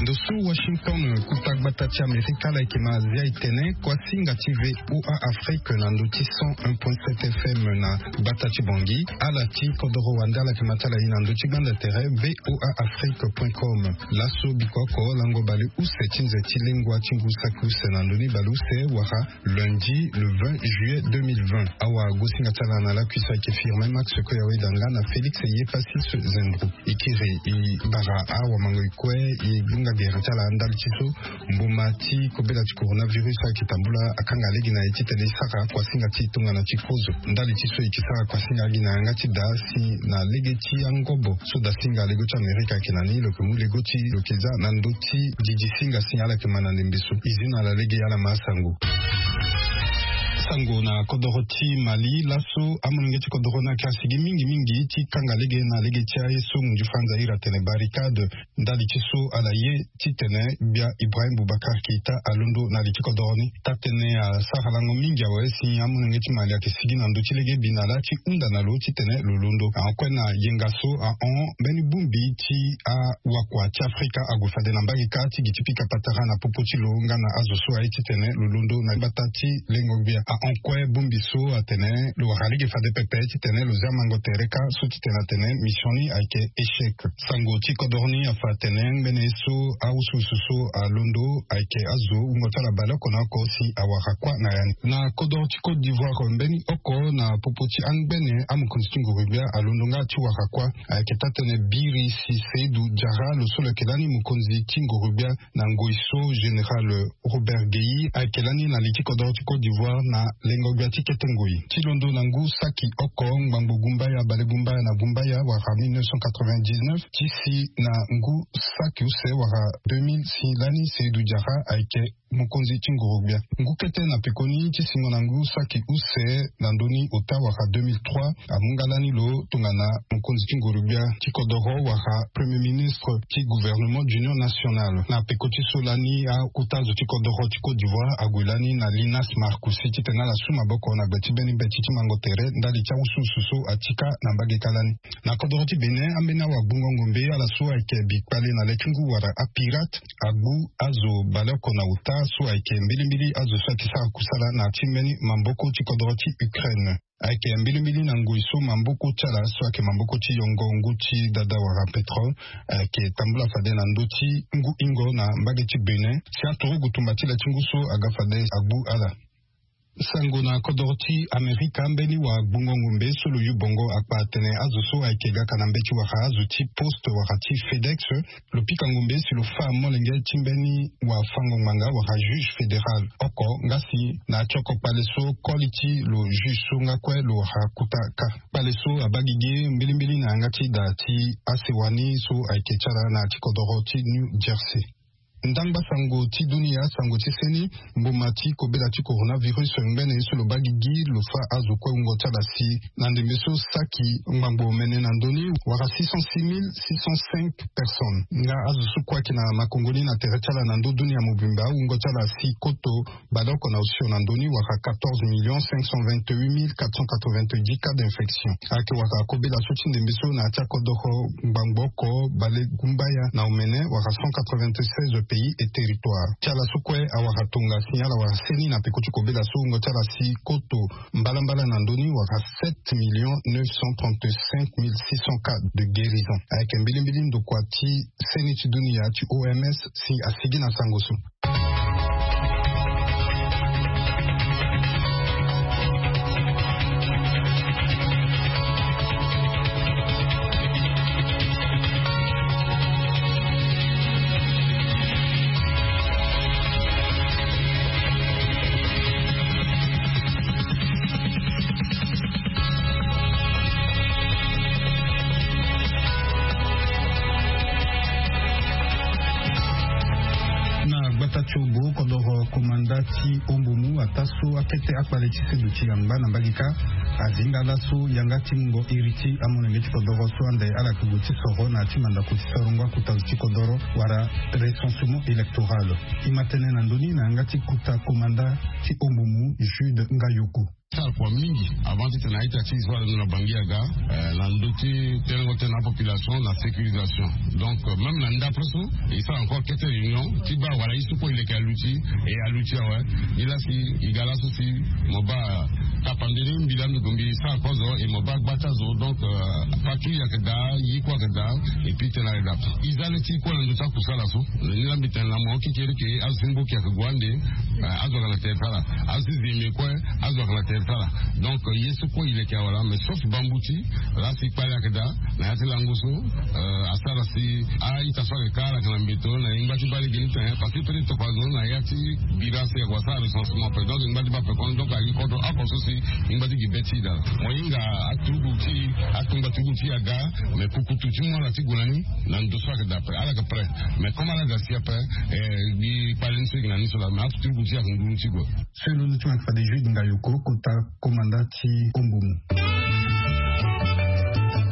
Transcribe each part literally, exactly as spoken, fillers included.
Ndo so Washington, kota gbata ti Amerika, ala yeke ma zia etene kuasinga ti VOA Afrique na ndö ti cent un point sept F M na gbata ti Bangui. Ala ti kodoro wande ala yeke ma ti ala ye na ndö ti gbanda tere VOA Afrique point com. Laso biko oko lango baleuse ti nze ti lengua ti ngu saki use na ndö ni baleuse wala lundi le vingt juillet deux mille vingt. Awa gosinga ti ala na lakui so ayeke Firmin Max Koyaweda nga na Félix Yepassis Zendro. E kiri e bara awamango e kue e gbunga gere ti ala ndali ti so mbuma ti kobela ti coronavirus ayeke tambula akanga lege na ye titene e sara kuasinga ti tongana ti kozo. Ndali ti so e yeke sara kuasinga agi na yanga ti da si na lege ti angobo so dasinga lego ti Amerika ayeke na ni lo yeke mu lego ti lo yeke za na ndö ti didisinga si ala yeke ma na ndembe so. E zi na ala lege ala ma asango. Sango na kodoro ti Mali. Laso amolenge ti kodoro ni ayeke asigi mingi mingi ti kanga lege na lege ti aye so munzu franza iri atene barricade ndali ti so ala ye titene gbia Ibrahim Boubacar Keita alondo na li ti kodoro ni. Taa-tënë asara lango mingi awe si amolenge ti Mali ayeke sigi na ndö ti legebi na laa ti hunda na lo titene lo londo. Ahon kue na yenga so ahon mbeni bongbi ti awakua ti Afrika ague fade na mbage kâ ti gi ti pika patara na popo ti lo nga na azo so aye titene lo londo na gbata ti lengo-gbia. Ahon kue bongbi so atene lo wara lege fade pepe titene lo zia mango tere kâ so titene atene mission ni ayeke échec. Sango ti kodoro ni afa atene ngbene ye so awusuwusu so alondo ayeke azo wungo ti ala baleoko na oko si awara kuâ na ya ni. Na kodoro ti Côte d'Ivoire mbeni oko na popo ti angbene amokonzi ti nguru-gbia alondo nga ti wara kuâ. Ayeke taa-tënë biri si Seydou Diarra lo so lo yeke lani mokonzi ti nguru-gbia na ngoi so général Robert Guéhi ayeke lani na li ti kodoro ti Côte d'Ivoire na lengo-gbia ti kete ngoi. Ti londo na ngu saki oko ngbangbo gumbaya balegumbaya na gumbaya wala mille neuf cent quatre-vingt-dix-neuf ti si na ngu saki use wala deux mille si lani Seydou Diarra ayeke mokonzi ti nguru-gbia. Ngu kete na pekoni ti singo na ngu saki use na ndö ni ota wala deux mille trois amu nga lani lo tongana mokonzi ti nguru-gbia ti kodoro wala premier ministre ti gouvernement d'union nationale. Na peko ti so lani akota zo ti kodoro ti Côte d'Ivoire ague lani na Linas Marcoussis titene ala su maboko na gbe ti mbeni mbeti ti mango tere ndali ti awusuwusu so atika na mbage kâ lani. Na kodoro ti Bénin ambeni awagbungo-ngombe ala so ayeke bikpale na le ti ngu wala apirate agbu azo baleoko na ota so ayeke mbilimbili azo so ayeke sara kusala na ya ti mbeni maboko ti kodoro ti Ukraine. Ayeke mbilimbili na ngoi so maboko ti ala so ayeke maboko ti yongo ngu ti dada wala pétrole ayeke tambula fade na ndö ti ngu hingo na mbage ti Bénin si aturugu tumba ti le ti ngu so aga fade agbu ala. Sango na kodoro ti Amerika, mbeni wagbungo-ngombe so lo yu bongo akpa atene azo so ayeke gaka na mbeti wala azo ti poste wala ti FedEx lo pika ngombe si lo fâ molenge ti mbeni wafango-ngbanga wala juge fédéral oko nga si na ya ti oko kpale so koli ti lo juge so nga kue lo wara kota kâ. Kpale so abaa gigi mbilimbili na yanga ti da ti asewa ni so ayeke ti ala na ya ti kodoro ti New Jersey. Ndangba sango ti dunia, sango ti seni, mboma ti kobela ti coronavirus ngbene ye so lo baa gigi lo fâ azo kue wungo ti ala si na ndembe so saki ngbangbo omene na ndö ni wala six cent six mille six cent cinq personnes. Nga azo so kue ayeke na makongo ni na tere ti ala na ndö dunia mobimba wungo ti ala si koto baleoko na osio na ndö ni wala quatorze millions cinq cent vingt-huit mille quatre cent quatre-vingt-dix cas d'infection. Ayeke wala kobela so ti ndembe so na ya ti akodoro ngbangbo oko balegumbaya na omene wala cent quatre-vingt-seize pays et territoires. Ti ala so kue awara tonga si ala wara seni na peko ti kobela so wungo ti ala si koto mbalambala na ndö ni wala sept millions neuf cent trente-cinq mille six cents cas de guérison. Ayeke mbilimbili ndokua ti seni ti dunia ti O M S si asigi na sango so. Na gbata ti obo kodoro komanda ti ombumu ata so akete akpale ti seduti yangba na mbage kâ azinga laso yanga ti mungo iri ti amolenge ti kodoro so ande ala yeke gue ti soro na ya ti mandako ti sarango akuta zo ti kodoro wala recensement électoral. E ma tene na ndö ni na yanga ti kota komanda ti ombumu Jude Ngayoko. Sara kua mingi avant ti tene a-ita ti e so ala ndo na bangi aga, eh, na ndö ti telengo tënë na apopulation na sécurisation. Donc, euh, même na ndapre so e sara encore kete réunion ti baa wala ye so kue e leke aluti, e aluti awe. Nilaa si e ga laso si mo baa tapande ni mbi laa mbi gue mbi sara kozo e mo baa gba ti azo. Donc, euh, patrouille ayeke daa, ye kue ayeke daa. Et puis tënë ayeke daa. E za le ti e kue na ndö ti akusala so. Nilaa mbi tene na mo kekereke azo ti mboki ayeke gue ande. Eh, azo ayeke na tere ti ala. Azo ti zeme kue, azo ayeke na tere ti ala. Donc, euh, ye so kue e leke awe laa, mais sauf bambuti, laa si kpale ayeke daa na ya ti lango so, euh, asara si a-ita so ayeke ka ala ayeke na mbeto na e ngba ti baa lege ni tene, parce que peut-être tokua zo na ya ti bira si ayeke wara sara recensement ape. Donc e ngba ti baa ape kono, donc a gi kodro oko so si e ngba ti gi be ti e daa. Mo hinga aturugu ti e, atongba turugu ti e aga, mais kukutu ti mu ala ti gue na ni na ndo so ayeke daa ape, ala yeke prêt. Mais comme ala ga si ape, eh, gi kpale ni so e gi na ni so laa, mais aturugu ti e ayeke nduru ti gue. So e londo ti mo ayeke fade Jude Ngayoko, kota komanda ti Ombomu.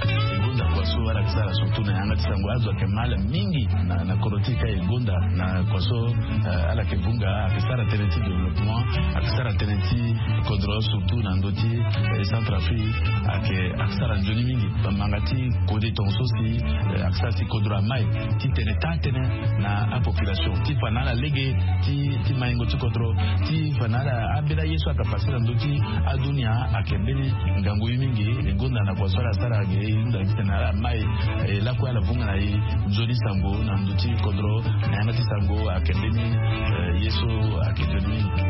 E gonda kua so ala yeke sara surtout na yanga ti sango, azo ayeke mal mingi na, na kodro ti e ka e gonda na kua so, eh, ala yeke vunga, ayeke sara tënë ti développement, ayeke sara tënë ti kodro surtout na ndö ti, eh, Centrafrique, ayeke, ayeke sara nzoni mingi. Bamanga ti kode tongaso si, eh, ayeke sara si kodro amai ti tene taa tënë na apopulation ti fa na ala lege ti, ti maingo ti kodro, ti fa na ala ambeni aye so ayeke pase na ndö ti adunia ayeke mbeni ngangu ye mingi. E gonda na kua so ala sara ge e hunda ti tene ala mai, eh, lakue ala vunga na e nzoni sango na ndö ti kodro, na yanga ti sango ayeke mbeni, eh, ye so ayeke nzoni mingi.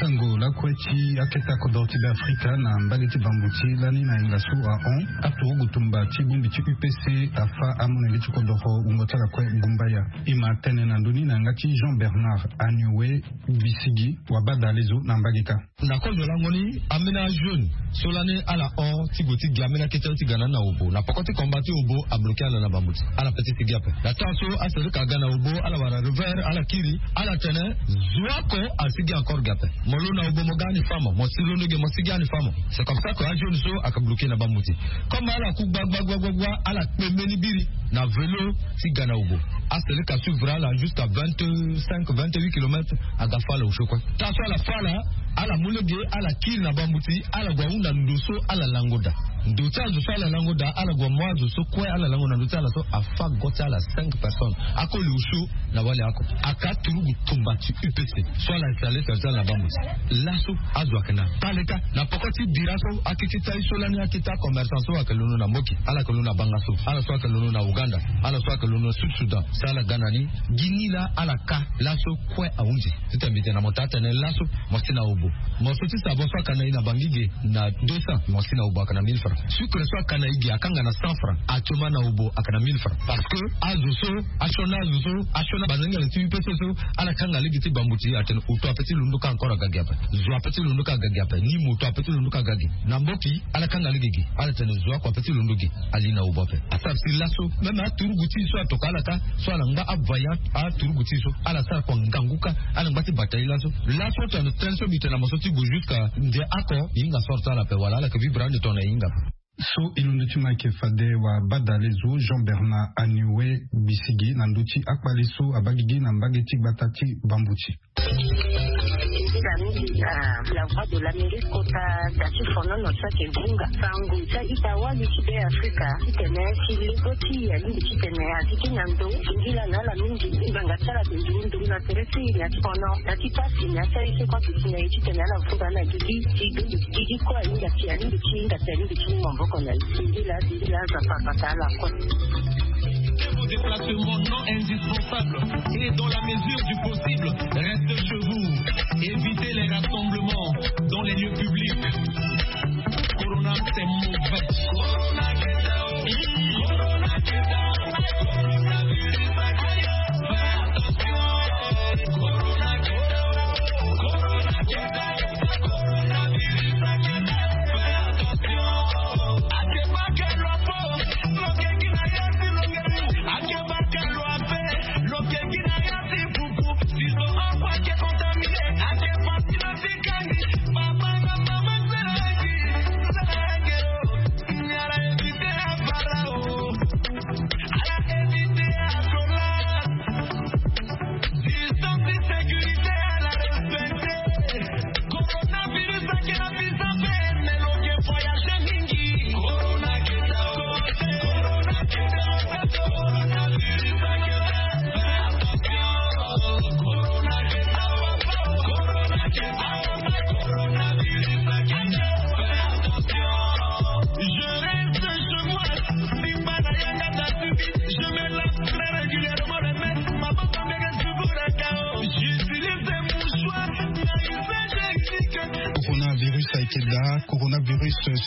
Sango lakue ti akete akodoro ti Beafrika na mbage ti Bambuti lani na hinga so ahon, aturugu tumba ti bongbi ti U P C afâ amolenge ti kodoro wungo ti ala kue Gumbaya. E ma tene na ndö ni na yanga ti Jean Bernard Anioue Bisigi, wabadale zo na mbage kâ. Na kozo lango ni, ambeni ajeune so lani ala hon ti gue ti gi ambeni akete ti ga na ni na Obo. Na poko ti combat ti Obo abloqué ala na Bambuti. Ala peut ti sigi ape. Na temps so aseleka aga na Obo, ala wara revers, ala kiri, ala tene zo oko asigi encore gi ape. Mo londo na Obo mo ga ani fâ mo, mo si londo ge mo sigi ani fâ mo. C'est comme ça que ajeune so ayeke bloqué na Bambuti. Comme ala ku gba gba gba gba gba, ala kpe mbeni biri na vélo ti ga na Obo. Aseleka suivre ala jusqu'à vingt-cinq, vingt-huit kilomètres, aga fâ ala osio kue. Tant so ala fâ ala, ala mu lege, ala kiri na Bambuti, ala gue ahunda ndo so ala lango daa. Ndo ti azo so ala lango daa, ala gue mu azo so kue ala lango na ndo ti ala so afâ go ti ala cinq personnes. Akoli osio na wali oko. Aka aturugu tumba ti U P C so ala installé tere ti ala na Bambuti. Laso azo ayeke na Baleka, na poko ti bira so akete ti aye so lani, akete acommerçant so ayeke londo na Mboki, ala yeke londo na Bangassou, ala so ayeke londo na Ouganda, ala so ayeke londo na Sud Soudan, si ala ga na ni. Gi ni laa ala ka laso kue ahunzi. Ti tene mbi tene na mo taa tënë laso mo si na Obo. Morceau ti sabon so aka na e na Bangui ge na deux cents, mo si na Obo aka na mille francs. Sucre so aka na e ge akanga na cent francs. Actuellement na Obo aka na mille francs. Parce que azo so asioni azo so asioni banzengele ti U P C so, ala kanga lege ti Bambuti, atene oto ape ti londo kâ encore aga gi ape. Zo ape ti londo kâ aga gi ape. Ni moto ape ti londo kâ aga gi. Na Mboki ala kanga lege gi, ala tene zo oko ape ti londo gi. Ali na Obo ape. Asara si laso même aturugu ti e so atokua ala kâ, so ala ngba avoyant aturugu ti e so, ala sara kua ngangu kâ, ala ngba ti bata e laso. Laso tongana tënë so mbi tene na mo so ti gue jusqu'à nze oko, e hinga sort ti ala ape wala ala yeke vivre ande tongana e hinga ape. So e londo ti mo ayeke fade wabadale zo Jean Bernard Anioue Bisigi na ndö ti akpale so abaa gigi na mbage ti gbata ti Bambuti. Eza mingi na La Voix de l'Amérique kota da ti fonono so ayeke vunga sango ti a-ita wali ti Beafrika titene si lego ti e alingbi titene a gi ti na ndo. Singila na ala mingi ti ngbanga ti ala ayeke nduru nduru na tere ti e na ya ti fono, na ya ti pasi, na ya ti aye so kue ayeke si na e titene ala vunga na gigi ti dudu. Gigi kue ahinga si alingbi ti hinga si alingbi ti mu maboko na e. Singila, singila, Nzapa abata ala kue. Vos déplacements non indispensables et dans la mesure du possible, restez chez vous. Évitez les rassemblements dans les lieux publics. Corona, c'est mauvais. Corona, get out. Corona, get out. Coronavirus, aïe, fais attention. Corona, get out. Corona, get out. Coronavirus, aïe, fais attention. Akebakelo ape, lo keki na ya ti pupu. Si zo oko ayeke contaminé, ake pasi na ti kani.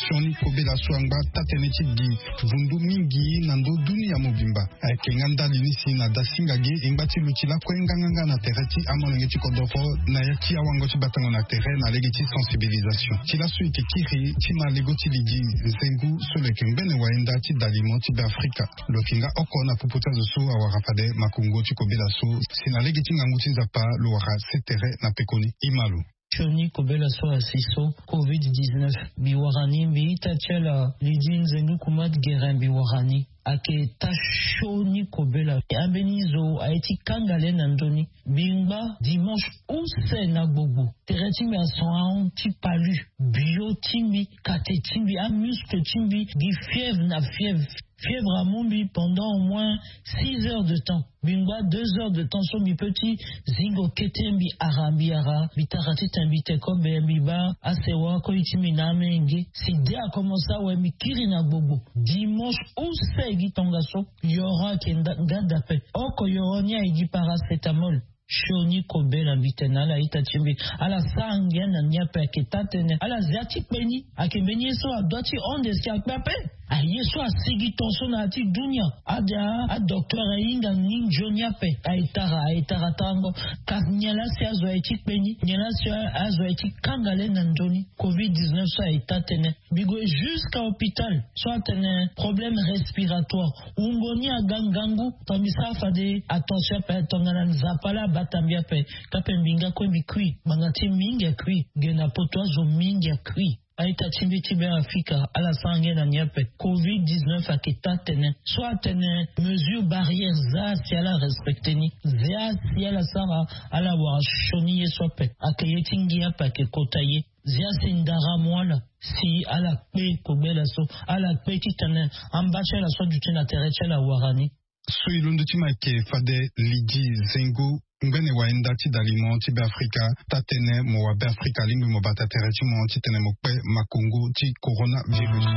Sioni kobela so angba taa-tënë ti gi vundu mingi na ndö dunia mobimba. Ayeke nga ndali ni si na dasinga ge e ngba ti luti lakue nganganga na tere ti amolenge ti kodoro na ya ti awango ti batango na tere na lege ti sensibilisation ti laso e yeke kiri ti ma lego ti lidi nzengu so lo yeke ngbene wayenda ti dalimo ti Beafrika. Lo yeke nga oko na popo ti azo so awara fade makongo ti kobela so si na lege ti ngangu ti Nzapa lo wara se tere na pekoni. Ima lo. Sioni kobela so asi so covid dix-neuf mbi wara ni, mbi ita ti ala lidi nzengu kumat gere mbi wara ni. Ayeke taa sioni kobela. Ambeni zo aye ti kanga le na ndö ni. Mbi ngba dimanche use na gbogbo. Tere ti mbi ason ahon ti palu. Bio ti mbi, kate ti mbi, amuscle ti mbi gi fièvre na fièvre. Fièvre amu mbi pendant au moins six heures de temps. Mbi ngba deux heures de temps so mbi peut ti zingo kete, mbi ara mbi ara mbi tara titene mbi te kobe mbi baa asewa koi ti mbi na amenge. Si de akomense awe mbi kiri na gbogbo. Dimanche use gi tongaso. Yoro ayeke nda- nga dape. Oko yoro ni aye gi paracétamol. Sioni kobela mbi tene na ala ita ti mbi. Ala sara ngia na ni ape, ayeke taa-tënë. Ala zia ti kpe ni. Ayeke mbeni ye so adua ti honde si akpe ape. Aye so asigi tongaso na ya ti dunia. Ade adocteur ahinga ni nzoni ape. Aye tara aye tara tarango. Kasi nyen laa si azo aye ti kpe ni? Nyen laa si azo aye ti kanga le na nzoni? Covid dix-neuf so aye taa-tënë. Mbi gue jusqu'à hôpital so atene problème respiratoire. Wungo ni aga ngangu. Tongana mbi sara fade attention ape, tongana Nzapa laa abata mbi ape. Kape mbi nga kue mbi kui. Ngbanga ti mingi akui. Ge na poto azo mingi akui. A-ita ti mbi ti Beafrika, ala sara ngia na ni ape. Covid dix-neuf ayeke taa-tënë. So atene mesure barrière, zia si ala respecte ni. Zia si ala sara, ala wara sioni ye so ape. Ayeke ye ti ngia ape ayeke kota ye. Zia si ndara amu ala si ala kpe kobela so. Ala kpe titene amba ti ala so aduti na tere ti ala awara ni. So e londo ti ma ayeke fade lidi zengo ngbene wayenda ti dalimo ti Beafrika. Taa-tënë mo wa Beafrika alingbi mo bata tere ti mo titene mo kpe makongo ti coronavirus.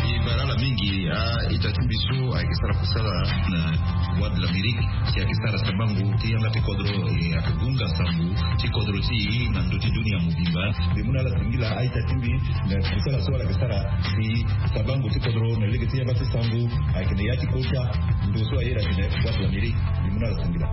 E bara ala mingi. A-ita ti mbi so ayeke sara kusala na Voix de l'Amérique, si ayeke sara sabango ti yanga ti kodro, e ayeke gunga sango ti kodro ti e na ndö ti dunia mobimba. Mbi mu na ala singila a-ita ti mbi na kusala so ala yeke sara si sabango ti kodro na lege ti yanga ti sango ayeke na ya ti kota ndo so aye na tene Voix de l'Amérique. Mbi mu na ala singila.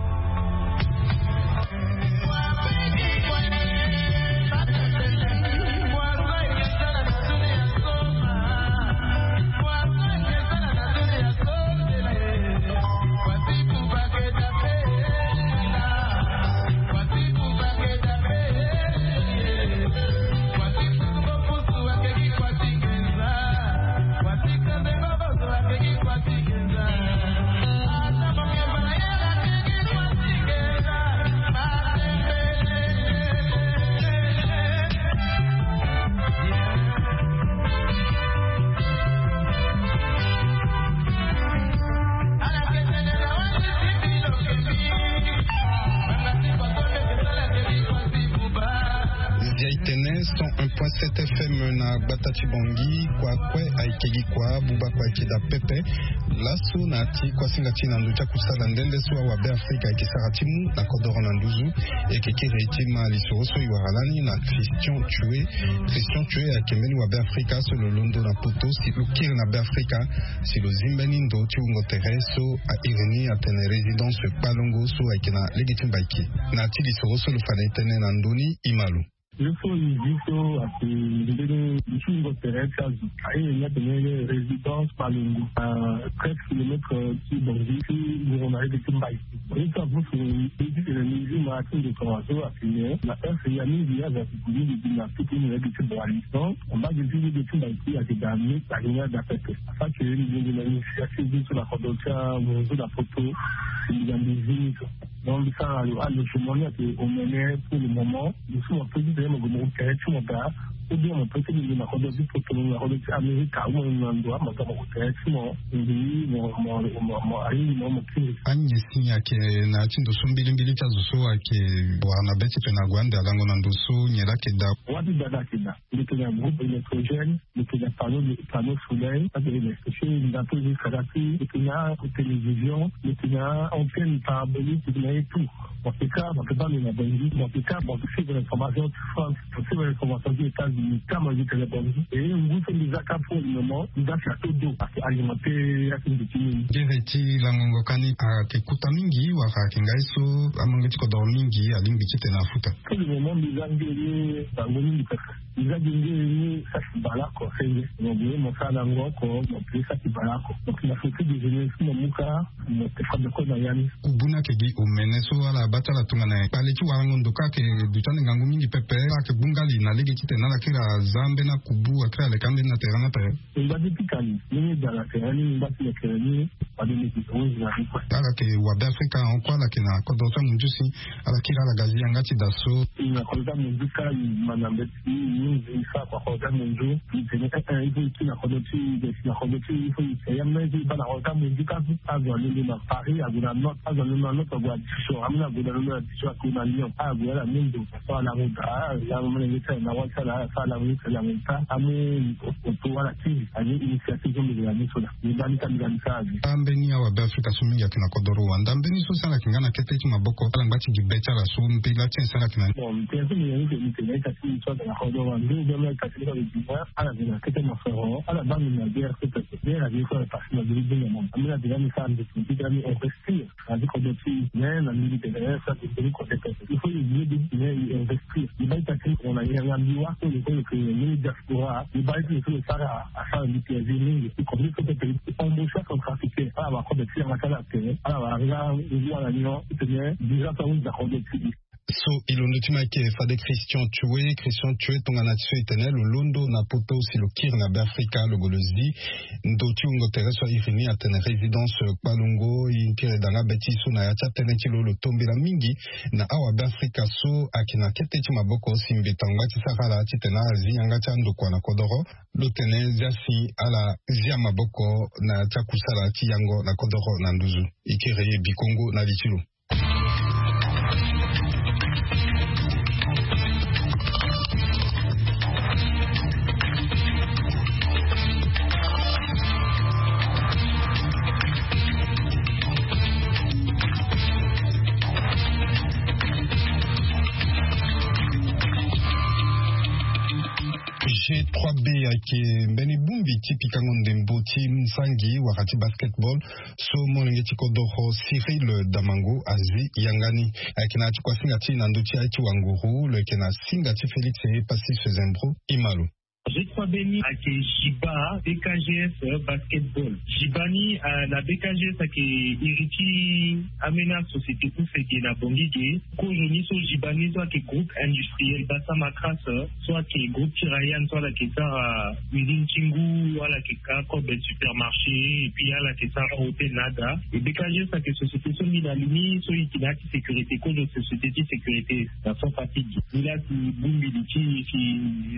Zia e tene cent un point sept F M na gbata ti Bangui. Kua kue ayeke gi kua, buba kue ayeke daa pepe. Laso na ya ti kuasinga ti e na ndö ti akusala nde nde so awa Beafrika ayeke sara ti mu na kodoro na nduzu. E yeke kiri ti ma lisoro so e wara lani na Christian Tue. Christian Tue ayeke mbeni wa Beafrika so lo londo na poto si lo kiri na Beafrika si lo zi mbeni ndo ti wungo tere so a iri ni atene résidence Kpalongo so ayeke na lege ti Mbaiki. Na ya ti lisoro so lo fa na e tënë na ndö ni, e ma lo. Ye so e zi so ayeke mbeni ndo ti wungo tere ti azo. A iri ni atene résidence Kpalongo, na treize kilomètres ti Bangui ti wungo na lege ti Mbaiki. Ye so avusu e titene mbi zi ma ti ndo tongaso atene na heure ya mingi azo ayeke gue mingi gi na piki ni na lege ti Boali. Donc mbage ti lege ti Mbaiki ayeke daa ni, ayeke nga daa pepe. Parce que mbi gue na initiative so na kodro ti amunzu na poto, mbi ga mbi zi ni so. Donc mbi sara lo alogement ni ayeke omene pour le moment. Lo so mo peut ti tene mo gue mo tere ti mo daa, ou bien mo peut ti lingbi na kodro ti poto, na kodro ti Amerika, ou mo na ndo ama ga mo gue tere ti mo. Mbi mo mo mo mo alingbi mo mo kiri. Anyen si ni ayeke na ya ti ndo so mbilimbili ti azo so ayeke wara na be ti tene ague ande alango na ndo so nyen laa ayeke daa. Wa ti dada ayeke daa. Mbi yeke na groupe électrogène, mbi yeke na panneau, panneau solaire, ça veut dire que si ndato eza kaka ti, mbi yeke na télévision, mbi yeke na antenne parabolique, mbi yeke na ye tout. Mo yeke ka, mo yeke baa mbi na Bangui, mo yeke ka, mo yeke suivre information ti France, mo suivre information ti États-Unis. Kama zi tene bongi e ngu so mbi za ka pour le moment mbi za si ato do ake alimenter ake mbi ti mini. Gere ti langongo kani ayeke kuta mingi wala ayeke ngai so amonge ti kodoro mingi alingbi titene afuta. Pour le moment mbi za nge ye bango mingi pepe. Mbi za gi nge ye saki baleoko senge mo bue mo sara na ngo oko mo pue saki baleoko donc na foti de jeunesse mo muka. Mo te fade kue na ya ni. Kubu ni ayeke gi omene so ala baa ti ala tongana kpale ti warango ndo ka ayeke duti ande ngangu mingi pepe ala yeke gbu ngali na lege titene ala kiri aza ambeni akubu akiri aleke ambeni na terrain ni ape. Ngba ti pika ni ni ni da na terrain ni ngba ti lekere ni. Fade ni gi ronge na ni kue. Ala yeke wabe afrika hon kue ala yeke na kodro ti amunzu si ala kiri ala ga zi yanga ti da so. Na kodro ti amunzu ka i ma na mbeti i munzu i sara kua kodro ti amunzu. I tene eh eh i faut i kiri na kodro ti i tene i kiri na kodro ti i il faut i tene ya même i baa na kodro ti amunzu ka so. Azo alondo na paris ague na note azo alondo na note ague na division ameni ague na londo na division ague na lyon ague ala mendo. Asara lango daa ala lango mene nge ti ala na wali ti ala asara lango nge ti ala lango daa amu oto ala ti aye initiative so mbi ga na ni so daa. Mbi baa ni ka mbi ga ni sara aze. Ambeni awabe afrika so mingi ayeke na kodoro wanda mbeni so si ala yeke nga na kete ti maboko ala ngba ti gi be ti ala so mbela ti nyen si ala yeke na ni. Bon mbi tene so mbi ga ni tene mbi tene ita ti mbi so ayeke na kodoro wanda ou bien mbi ita ti mbi so ayeke na kete mosoro ala baa mbi na guerre so pepe guerre ague so ayeke pase na mbi ti dinga mo ambeni ague nga mbi sara mbi ti mbi ti ga mbi investir. Na ti kodro ti i mais na mbi mbi tene eh so ayeke mbeni kote pepe il faut i gue de mais i investir i baa ita ti mo na yanga mbi wa so lo so lo yeke mbeni diaspora i baa ita lo so lo sara asara mbi ti azi mingi i kote so pepe i embauche acentrafricain ala wara kobe ti yanga ti ala tere ala wara nga ngu ala nyon i tene dix ans so ahunzi na kobe ti i. So i londo ti ma yeke fade christian tue christian tue tongana ti so i tene lo londo na poto si lo kiri na be afrika lo gue lo zi ndo ti wungo tere so ahiri ni atene résidence kpalongo i kiri danga be ti so na ya ti atënë ti lo lo tombela mingi na awabe afrika so ayeke na kete ti maboko si mbeto angba ti sara ala titene ala zi yanga ti andokua na kodoro. Lo tene zia si ala zia maboko na ya ti akusala ti yango na kodoro na nduzu. I kiri bikongo na li ti lo. G trois B ayeke mbeni bongbi ti pikango ndembo ti nzangi wala ti basketball so molenge ti kodoro Cyril Damango azi yanga ni. Ayeke na ya ti kuasinga ti e na ndö ti aye ti wanguru lo yeke na singa ti Félix Epassis Zembro. Ima lo. G trois B ni ayeke Jiba B K G S basketball. Jiba ni na B K G S ayeke iri ti ambeni asociété ti sege na Bangui ge. Kozo ni so Jiba ni so ayeke groupe industriel Bassam Acras so ayeke groupe ti Rayan so ala yeke sara usine ti ngu ala yeke ka kobe supermarché et puis ala yeke sara hôtel na ada. Et B K G S ayeke société so mbi na li ni so e yeke na ya ti sécurité kozo société ti sécurité na centre Afrique. Ni la si bongbi li ti si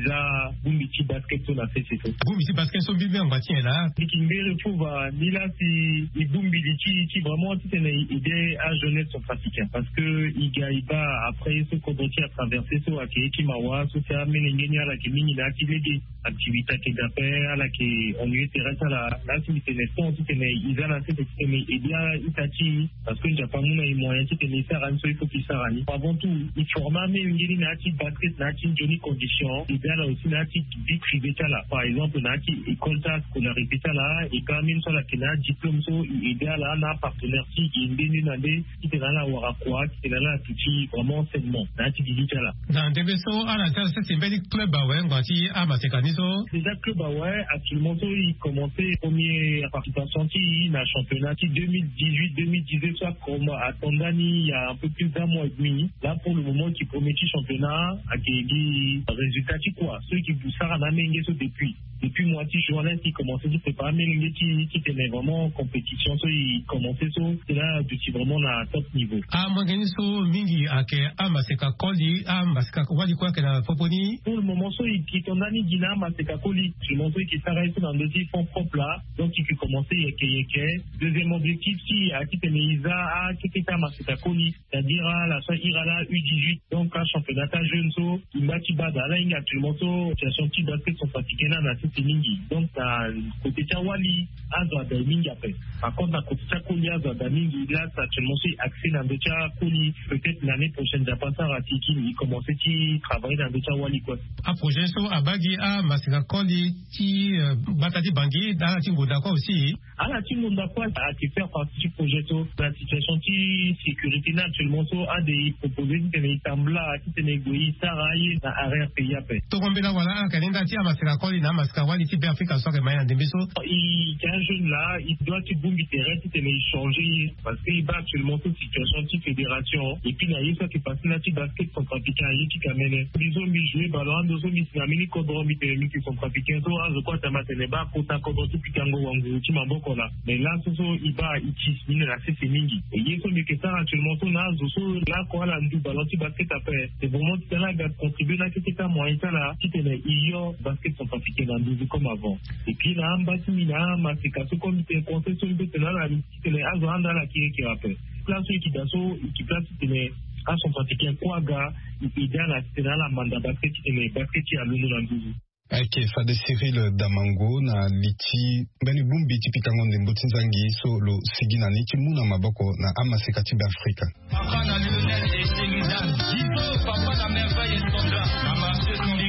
za bongbi ti basket so na sese so. Bongbi ti basket so mbi mbi angba ti nyen laa? Mbi yeke ngere fo va ni la si e bongbi li ti ti vraiment titene e aide ajeunesse centrafricain parce que e ga e baa après so kodro ti atraverse so ayeke ye ti mawa so si amolenge ni ala yeke mingi na ya ti lege. Activité ayeke dape ala yeke ennuye tere ti ala. Laa si mbi tene temps titene e za na sese titene e aide a-ita ti e parce que nzapa amu na e moyen titene e sara ni so il faut que e sara ni. Avant tout e forme amolenge ni na ya ti basket na ya ti nzoni condition e aide ala aussi na ya ti vie privée ti ala par exemple na ya ti école ti ala scolarité ti ala. E ka ambeni so ala yeke na adiplôme so e aide ala na apartenaire ti e nde nde na nde titene ala wara kua titene ala duti vraiment sainement na ya ti gigi ti ala. Na ndembe so ala za sese mbeni club awe ngua ti amaseka ni so. Déjà club awe actuellement so e commencé premier participation ti e na championnat ti deux mille dix-huit deux mille dix-neuf so akomo ato ndani il y a un peu plus d'un mois et demi. Là pour le moment e yeke premier ti championnat. Ayeke gi résultat ti kua so e yeke sara na amolenge so depuis depuis mois ti juin là e yeke commencé ti préparer amolenge ti e titene vraiment compétition so e commencé so. Cela aduti vraiment na top niveau. Amolenge ni so mingi ayeke amaseka koli amaseka wali kue ayeke na popo ni. Pour le moment so e yeke to ndani gi na amaseka koli actuellement so e yeke sara ye so na ndö ti fonds propre là. Donc e yeke commencé yeke yeke. Deuxième objectif ti e ayeke titene e za akete ti amaseka koli. C'est-à-dire ala so ahiri ala u dix-huit donc achampionnat ti ajeune so e ngba ti baa daa ala hinga actuellement so situation ti basket centrafricain ni ala na Ti mingi donc na kote ti awali azo ada mingi ape. Par contre na kote ti akoli azo ada mingi la, actuellement so e accès na ndö ti akoli. Peut-être l'année prochaine nzapa asara ti kini e commencer ti travailler na ndö ti awali kue. Aprojet so abaa gi amaseka koli ti gbata ti bangi na ala ti ngonda kue aussi. Ala ti ngonda kue ake faire partie ti projet so na situation ti sécurité ni actuellement so ade e proposer titene e tambula titene e gue e sara aye na arrière pays ape. Toko mbela wala aka ni nda ti amaseka koli na amaseka wali ti be afrika so ake mai na ndembe so. E ti un jeune la e doit ti bongbi tere titene e changer ye parce que e baa actuellement so situation ti fédération et puis na ye so ake passer na ti basket centrafricain aye ti kamene. Mbi so mbi jouer ballon ando so mbi si na mbeni kodro mbi tene mbi si centrafricain so azo kue atama tene baa kota kodro ti pikango wanguru ti maboko laa. Mais laso so e baa e ti ni na sese mingi. E ye so mbi yeke sara actuellement so na azo so laoko ala ndu ballon ti basket ape. C'est vraiment ti tene ala ga contribuer na keke ti amoyen ti ala titene e yo basket centrafricain na nduzu comme avant. Et puis na amba ti mbi na amaseka so comme mbi tene conseil so mbi tene ala titene azo anda ala kiri kiri ape. Place so e ke daa so e ke place titene acentrafricain kue aga e pe daa na titene ala manda basket titene basket ti alondo na nduzu. Ayeke fade Cyril Damango na li ti mbeni bongbi ti pikango ndembo ti nzangi so lo sigi na ni ti mu na maboko na amaseka ti Beafrika. Papa na Lionel et Sheridan, Gizo, papa na Merveille et Sandra, na Marché Sandra.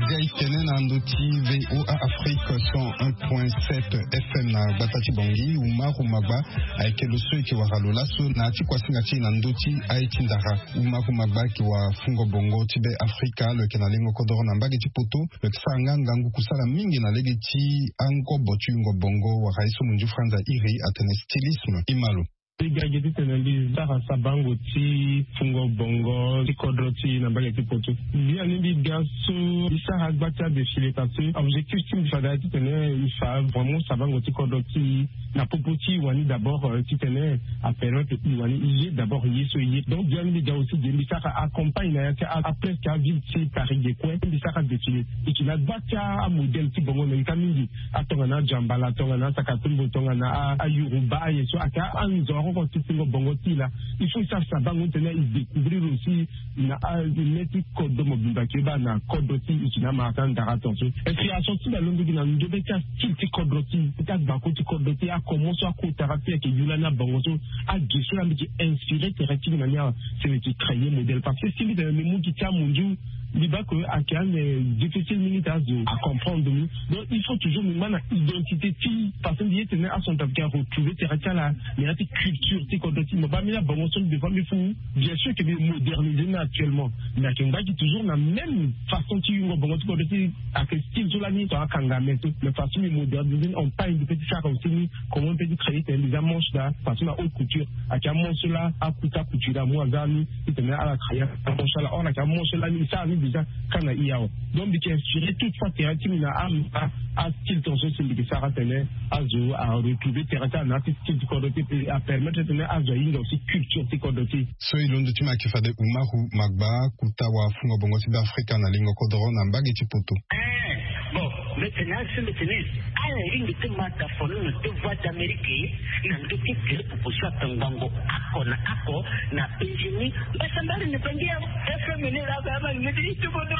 Ndia e tene na ndo ti VOA Afrique cent un point sept F M na gbata ti Bangui, Umaru Magba ayeke lo so e yeke wara lo laso na ya ti kuasinga ti e na ndo ti aye ti ndara. Umaru Magba ayeke wafungo bongo ti Be Afrika, lo yeke na lengo kodoro na mbage ti poto. Lo yeke sara nga ngangu kusala mingi na lege ti angobo ti yungo bongo wala ye so munzu franza iri atene stylisme. E ma lo. Mbi ga gi titene mbi sara sabango ti fungo bongo ti kodro ti e na mbage ti poto. Biani mbi ga so mbi sara gba ti adéfilé parce que objectif ti mbi fade aye titene e fa vraiment sabango ti kodro ti e na popo ti e wani d'abord, euh, titene apermettre e wani e ye d'abord ye so e ye. Donc biani mbi ga aussi ge mbi sara acampagne na ya ti a, a presque aville ti Paris ge kue mbi sara défilé. E yeke na gba ti amodèle ti bongo na ita mingi. Atongana ajambala, tongana asakatumbo, tongana a, ayoruba, aye so ayeke anzoro oko ti fungo bongo ti e laa. Il faut e sara sabango titene e découvrir aussi na a, le ti kodro mobimba ayeke baa na kodro ti e, e yeke na amara ti andara tongaso. Inspiration ti mbi alondo gi na ndobe ti astyle ti kodro ti e, ti agbako ti kodro ti e, akomo so akotara ti e ayeke yu lani abongo so, age so laa mbi yeke inspiré tere ti mbi na ni awe. Si mbi yeke créer modèle parce que si mbi tene mbi mu gi ti amunzu, mbi baa que ayeke ande difficile mingi ti azo acomprendre mbi. Donc il faut toujours mbi ma na identité ti e parce que mbi ye tene acentrafricain aretrouver tere ti ala, mais na ya ti culture ti kodro ti e. Mo baa mbeni abongo so mbi, des fois mbi fu. Bien sûr que mbi moderniser ni actuellement, mais ayeke ngba gi toujours na même façon ti yungo bongo ti kodro ti e. Ayeke style so lani tongana akanga me so, mais façon mbi moderniser ni, on pagne mbi peut ti sara aussi ni. Comment mbi peut ti créer tene mbi za manche laa, façon na haute couture. Ayeke amanche so laa akuta couture amu aza ni titene ala créer amanche so laa, or ayeke amanche so laa ni e sara ni déjà ka na e awe. Donc mbi yeke inspiré toute fois tere ti mbi na a, a, astyle tongaso si mbi yeke sara tene azo aretrouver tere ti ala na ya ti style ti kodro ti e, apermettre titene azo ahinga aussi culture ti kodro ti e. So e londo ti mbi ayeke fade Umaru Magba, kota wafungo bongo ti Be Afrika na lingo kodoro na mbage ti poto. Eh, bon, mbi tene asi mbi tene ala hinga ti ma dafono na deux voix d'Amérique na ndö ti groupe popo so atongbango ako na ako na Benjini. Mbasambari ni bangi ya F M ni la ba ma ni ti bodo.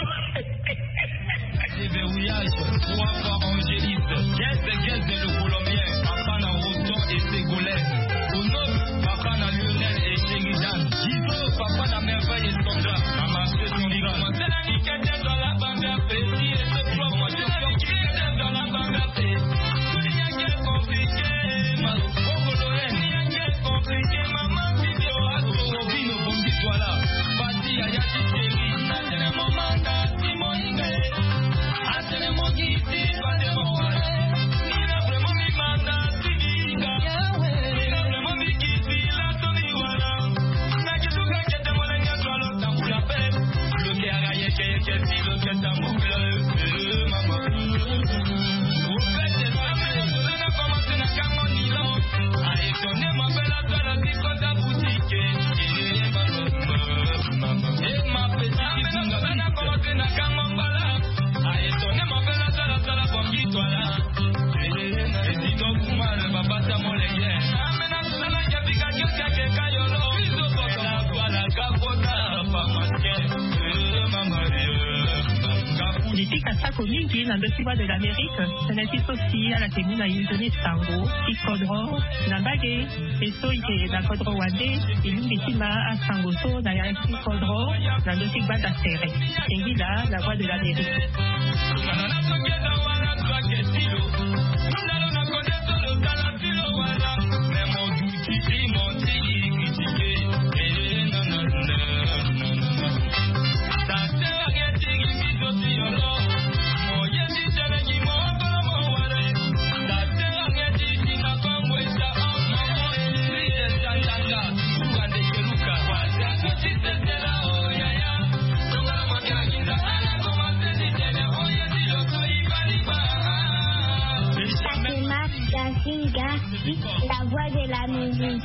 Verrouillage, trois fois Angéliste, quinze quinze le Colombien, papa na Roton et Ségolène, Ono, papa na Lionel et Sheridan, Gizo, papa na Merveille et Sandra, na Marché Sandra. Pika sako mingi na ndö ti Voix de l'Amérique. Tënë ti so si ala yeke mu na e nzoni sango ti kodro na mbage. E so e yeke na kodro wande, e lingbi ti ma asango so na ya ti kodro na ndö ti gbanda tere. Singila la Voix de l'Amérique. Fatima Gasinga, la voix de la musique.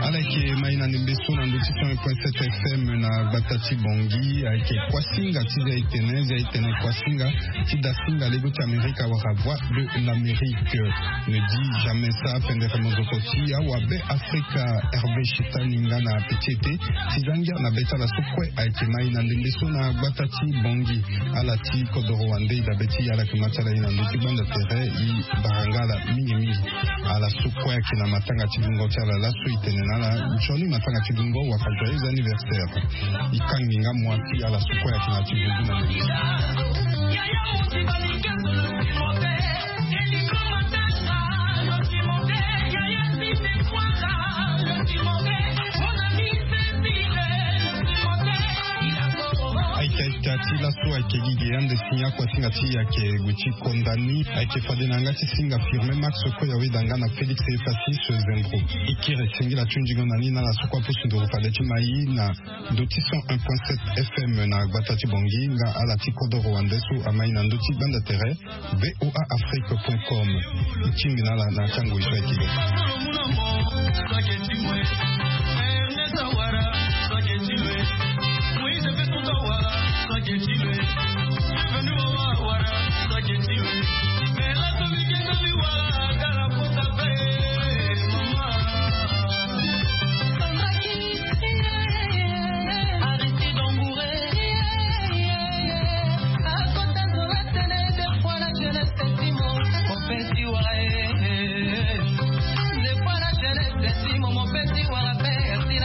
Ala yeke mai na ndembe so na ndö ti cent un point sept F M na gbata ti Bangui. Ayeke kuasinga ti zia etene, zia etene kuasinga ti dasinga lego ti Amerika wala Voix de l'Amérique. Ne dis jamais ça, pendere monzoko ti awa be Afrika. Hervé Chitani nga na petit ete ti za ngia na be ti ala so kue ayeke mai na ndembe so na gbata ti Bangui. Ala ti kodoro wande e dabe ti ala yeke ma ti ala e na ndö ti gbanda tere e bara nga ala mingi mingi. Ala so kue ayeke na matanga ti bungo ti ala laso e tene na ala nzoni matanga ti bungo wala joyeux anniversaire. E kangi nga mua ti ala so kue ayeke na ti bungo na ndembe. Ayeke ayeke ti laso ayeke gi ge ande si akuasinga ti e ayeke gue ti konda ni. Ayeke fade na yanga ti singa Firmin Max Koya weda nga na Félix Efassis Zembro. E kiri singila ti hunzingo na ni na ala so kue apusu nduru fade ti mai na ndö ti cent un point sept F M na gbata ti Bangui nga ala ti kodoro wande so amai na ndö ti gbanda tere V O A Afrique point com. E tingbi na ala na atango e so ayeke.